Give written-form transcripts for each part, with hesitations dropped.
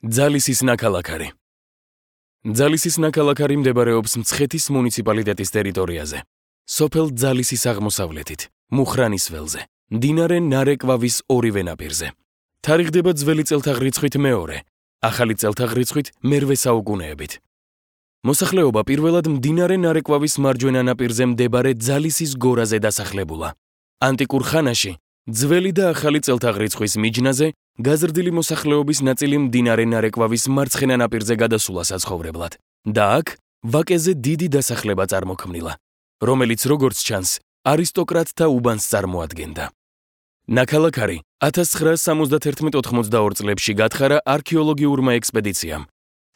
ძალისის ნაქალაქარი. ძალისის ნაქალაქარი მდებარეობს მცხეთის მუნიციპალიტეტის ტერიტორიაზე. სოფელ ძალისის აღმოსავლეთით, მუხრანის ველზე, მდინარე ნარეკვავის ორივე ნაპირზე. თარიღდება ძველი წელთაღრიცხვით მეორე, ახალი წელთაღრიცხვით მერვე საუკუნეებით. მოსახლეობა პირველად მდინარე ნარეკვავის მარჯვენა ნაპირზე მდებარე ძალისის გორაზე დასახლებულა. ანტიკურ ხანაში ძველი და ახალი წელთაღრიცხვის მიჯნაზე გაზრდილი მოსახლეობის ნაწილი მდინარე ნარეკვავის მარცხენა ნაპირზე გადასულა საცხოვრებლად და აქ ვაკეზე დიდი დასახლება წარმოქმნილა, რომელიც როგორც ჩანს, არისტოკრატთა უბანს წარმოადგენდა. ნაქალაქარი 1971-82 წლებში გათხარა არქეოლოგიურმა ექსპედიციამ,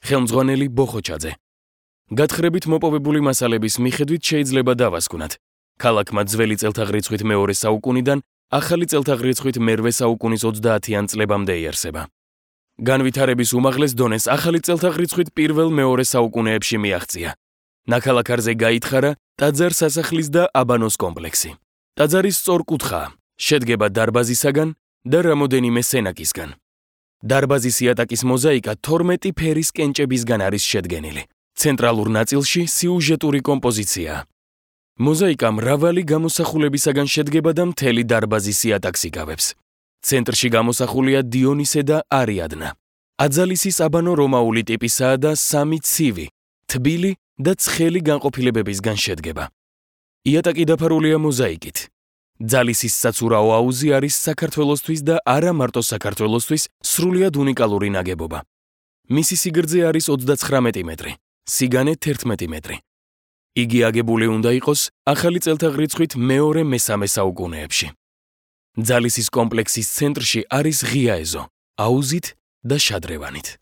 ხელმძღვანელი ბოხოჩაძე. გათხრებით მოპოვებული მასალების მიხედვით შეიძლება დავასკვნათ, ქალაქმა ძველი წელთაღრიცხვით მეორე საუკუნიდან ახალი წელთაღრიცხვით მერვე საუკუნის 30-იან წლებამდე იარსება. განვითარების უმაღლეს დონეს ახალი წელთაღრიცხვით პირველ-მეორე საუკუნეებში მიაღწია. ნაქალაქარზე გაითხარა ტაძარ სასახლის და აბანოს კომპლექსი. ტაძარი სწორკუთხაა, შედგება დარბაზისაგან და რამოდენიმე სენაკისგან. დარბაზის იატაკის მოზაიკა 12 ფერის კენჭებისგან არის შედგენილი. ცენტრალურ ნაწილში სიუჟეტური კომპოზიციაა. მოზაიკა მრავალი გამოსახულებისაგან შედგება და მთელი დარბაზის იატაკს იკავებს. ცენტრში გამოსახულია დიონისე და არიადნა. აძალისის აბანო რომაული ტიპისაა და 3 ცივი, თბილი და ცხელი განყოფილებებისგან შედგება. იატაკი დაფარულია მოზაიკით. ძალისის საცურაო აუზი არის საქართველოსთვის და არა მარტო საქართველოსთვის სრულიად უნიკალური ნაგებობა. მისი სიგრძე არის 39 მეტრი, სიგანე 11 მეტრი. იგი აგებული უნდა იყოს ახალი წელთაღრიცხვით მეორე-მესამე საუკუნეებში. ძალისის კომპლექსის ცენტრში არის ღია ეზო, აუზით და შადრევანით.